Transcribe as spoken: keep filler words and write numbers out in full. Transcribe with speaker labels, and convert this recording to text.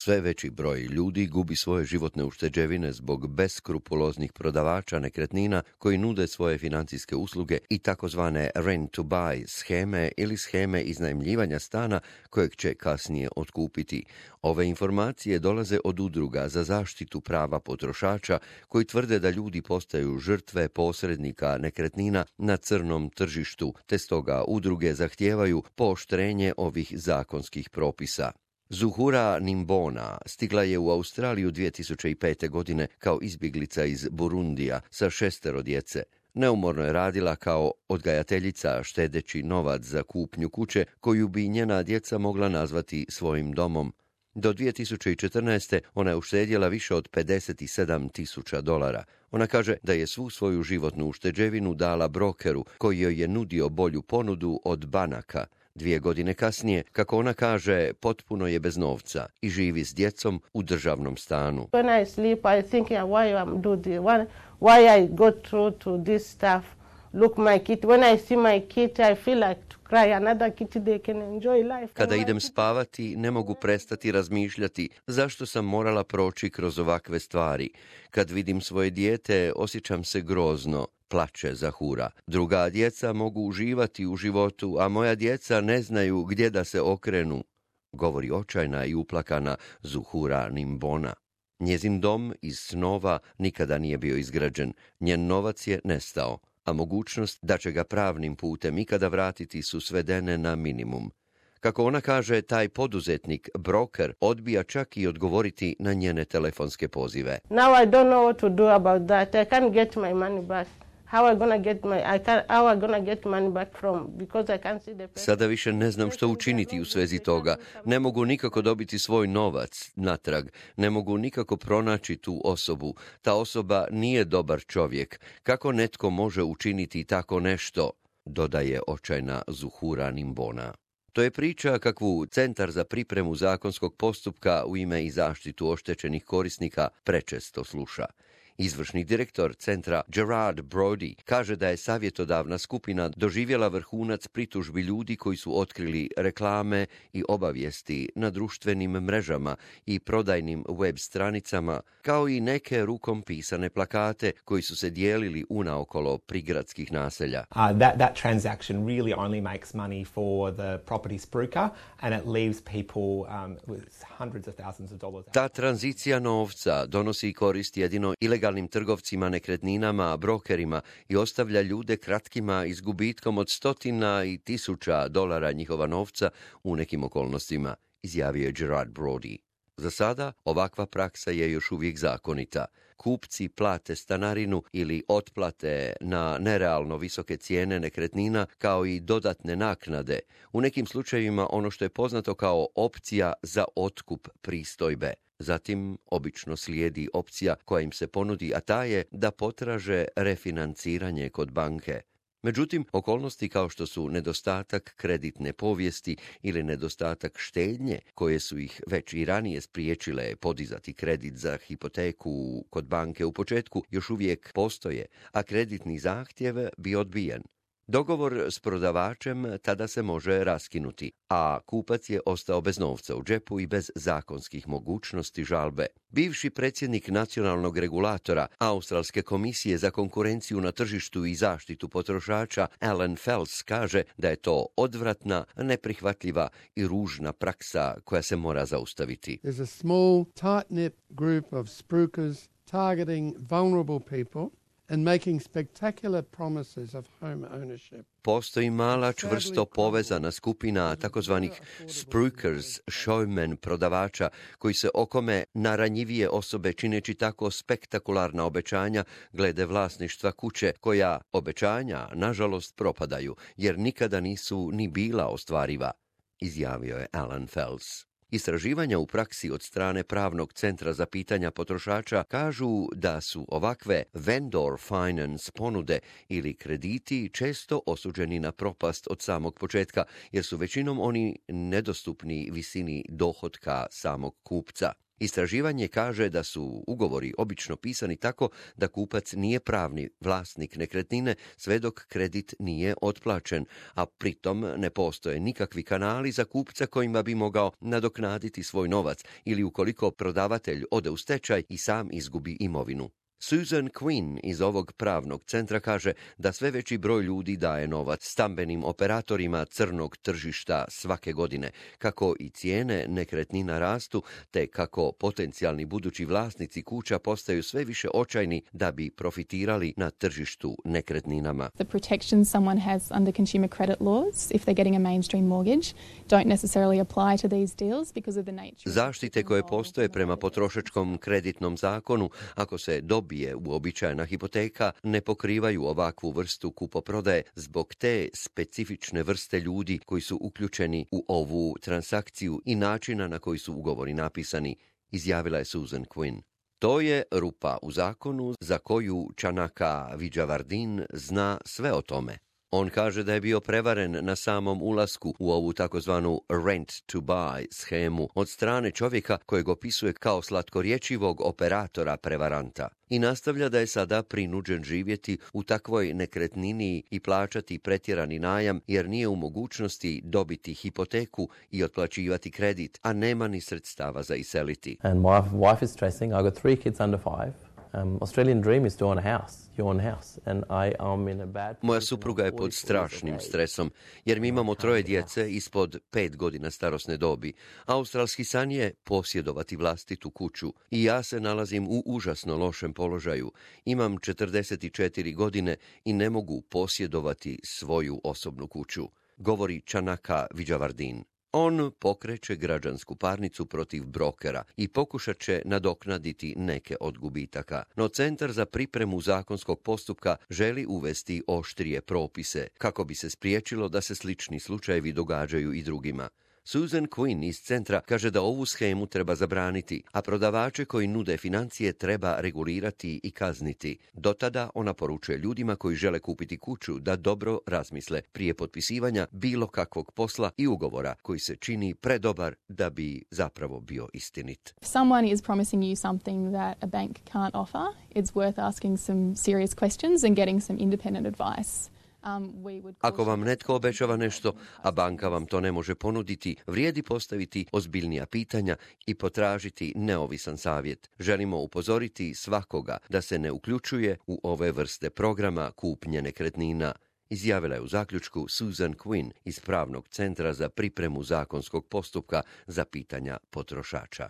Speaker 1: Sve veći broj ljudi gubi svoje životne ušteđevine zbog beskrupuloznih prodavača nekretnina koji nude svoje financijske usluge i takozvane rent to buy sheme ili sheme iznajmljivanja stana kojeg će kasnije otkupiti. Ove informacije dolaze od udruga za zaštitu prava potrošača koji tvrde da ljudi postaju žrtve posrednika nekretnina na crnom tržištu, te stoga udruge zahtijevaju pooštrenje ovih zakonskih propisa. Zuhura Nimbona stigla je u Australiju dvije tisuće pete. godine kao izbjeglica iz Burundija sa šestero djece. Neumorno je radila kao odgajateljica štedeći novac za kupnju kuće koju bi njena djeca mogla nazvati svojim domom. Do dvije tisuće četrnaeste. ona je uštedjela više od pedeset sedam tisuća dolara. Ona kaže da je svu svoju životnu ušteđevinu dala brokeru koji joj je nudio bolju ponudu od banaka. Dvije godine kasnije, kako ona kaže, potpuno je bez novca i živi s djecom u državnom stanu.
Speaker 2: When I sleep, I think why I'm do the one, why I go through to this stuff. Look my kid. When I see my kid, I feel like to cry. Another kid they can enjoy life.
Speaker 1: Kada idem spavati, ne mogu prestati razmišljati zašto sam morala proći kroz ovakve stvari. Kad vidim svoje dijete, osjećam se grozno. Plače Zahura. Druga djeca mogu uživati u životu, a moja djeca ne znaju gdje da se okrenu, govori očajna i uplakana Zuhura Nimbona. Njezin dom iz snova nikada nije bio izgrađen, njen novac je nestao, a mogućnost da će ga pravnim putem ikada vratiti su svedene na minimum. Kako ona kaže, taj poduzetnik, broker, odbija čak i odgovoriti na njene telefonske pozive.
Speaker 2: Now I don't know what to do about that. I can't get my money back. How I gonna get my I can how I gonna get money back from because I can't see the person.
Speaker 1: Sada više ne znam što učiniti u svezi toga. Ne mogu nikako dobiti svoj novac natrag. Ne mogu nikako pronaći tu osobu. Ta osoba nije dobar čovjek. Kako netko može učiniti tako nešto, dodaje očajna Zuhura Nimbona. To je priča kakvu Centar za pripremu zakonskog postupka u ime i zaštitu oštećenih korisnika prečesto sluša. Izvršni direktor centra Gerard Brody kaže da je savjetodavna skupina doživjela vrhunac pritužbi ljudi koji su otkrili reklame i obavijesti na društvenim mrežama i prodajnim web stranicama, kao i neke rukom pisane plakate koji su se dijelili unaokolo prigradskih naselja.
Speaker 3: Uh, that, that transaction really only makes money for the property spruiker and it leaves people um, with hundreds of thousands of dollars.
Speaker 1: Ta tranzicija novca donosi korist jedino ilegalnim trgovcima nekretninama, brokerima i ostavlja ljude kratkima i s gubitkom od stotina i tisuća dolara njihova novca u nekim okolnostima, izjavio je Gerard Brody. Za sada ovakva praksa je još uvijek zakonita. Kupci plate stanarinu ili otplate na nerealno visoke cijene nekretnina kao i dodatne naknade. U nekim slučajevima ono što je poznato kao opcija za otkup pristojbe. Zatim obično slijedi opcija koja im se ponudi, a ta je da potraže refinanciranje kod banke. Međutim, okolnosti kao što su nedostatak kreditne povijesti ili nedostatak štednje, koje su ih već i ranije spriječile podizati kredit za hipoteku kod banke u početku, još uvijek postoje, a kreditni zahtjev bi odbijen. Dogovor s prodavačem tada se može raskinuti, a kupac je ostao bez novca u džepu i bez zakonskih mogućnosti žalbe. Bivši predsjednik nacionalnog regulatora Australske komisije za konkurenciju na tržištu i zaštitu potrošača Alan Fels kaže da je to odvratna, neprihvatljiva i ružna praksa koja se mora zaustaviti.
Speaker 4: There's a small, tight-knit group of spruikers targeting vulnerable people and making spectacular promises of home ownership.
Speaker 1: Postoji mala, čvrsto povezana skupina takozvanih spruikers, showmen, prodavača, koji se okome na ranjivije osobe čineći tako spektakularna obećanja glede vlasništva kuće, koja obećanja, nažalost, propadaju, jer nikada nisu ni bila ostvariva, izjavio je Alan Fels. Istraživanja u praksi od strane Pravnog centra za pitanja potrošača kažu da su ovakve vendor finance ponude ili krediti često osuđeni na propast od samog početka, jer su većinom oni nedostupni visini dohotka samog kupca. Istraživanje kaže da su ugovori obično pisani tako da kupac nije pravni vlasnik nekretnine sve dok kredit nije otplaćen, a pritom ne postoje nikakvi kanali za kupca kojima bi mogao nadoknaditi svoj novac ili ukoliko prodavatelj ode u stečaj i sam izgubi imovinu. Susan Quinn iz ovog pravnog centra kaže da sve veći broj ljudi daje novac stambenim operatorima crnog tržišta svake godine, kako i cijene nekretnina rastu, te kako potencijalni budući vlasnici kuća postaju sve više očajni da bi profitirali na tržištu nekretninama.
Speaker 5: The protections someone has under consumer credit laws, if they're getting a mainstream mortgage, don't necessarily apply to these deals because of the nature.
Speaker 1: Zaštite koje postoje prema potrošačkom kreditnom zakonu, ako se dobije uobičajena hipoteka, ne pokrivaju ovakvu vrstu kupoprodaje zbog te specifične vrste ljudi koji su uključeni u ovu transakciju i načina na koji su ugovori napisani, izjavila je Susan Quinn. To je rupa u zakonu za koju Chanaka Vijayawardene zna sve o tome. On kaže da je bio prevaren na samom ulasku u ovu takozvanu rent to buy shemu od strane čovjeka kojeg opisuje kao slatkorječivog operatora prevaranta i nastavlja da je sada prinuđen živjeti u takvoj nekretnini i plaćati pretjerani najam jer nije u mogućnosti dobiti hipoteku i otplaćivati kredit, a nema ni sredstava za iseliti.
Speaker 6: And my wife is stressing. I got three kids under five. Um, Australian dream is to own a house. You own a house. And I am in a bad
Speaker 1: Moja supruga je pod strašnim stresom, jer mi imamo troje djece ispod pet godina starosne dobi. Australski san je posjedovati vlastitu kuću i ja se nalazim u užasno lošem položaju. Imam četrdeset četiri godine i ne mogu posjedovati svoju osobnu kuću, govori Chanaka Vijayawardene. On pokreće građansku parnicu protiv brokera i pokušat će nadoknaditi neke od gubitaka. No Centar za pripremu zakonskog postupka želi uvesti oštrije propise kako bi se spriječilo da se slični slučajevi događaju i drugima. Susan Quinn iz centra kaže da ovu shemu treba zabraniti, a prodavače koji nude financije treba regulirati i kazniti. Do tada ona poručuje ljudima koji žele kupiti kuću da dobro razmisle prije potpisivanja bilo kakvog posla i ugovora koji se čini predobar da bi zapravo bio istinit.
Speaker 5: If someone is promising you something that a bank can't offer, it's worth asking some serious questions and getting some independent advice.
Speaker 1: Ako vam netko obećava nešto, a banka vam to ne može ponuditi, vrijedi postaviti ozbiljnija pitanja i potražiti neovisan savjet. Želimo upozoriti svakoga da se ne uključuje u ove vrste programa kupnje nekretnina, izjavila je u zaključku Susan Quinn iz Pravnog centra za pripremu zakonskog postupka za pitanja potrošača.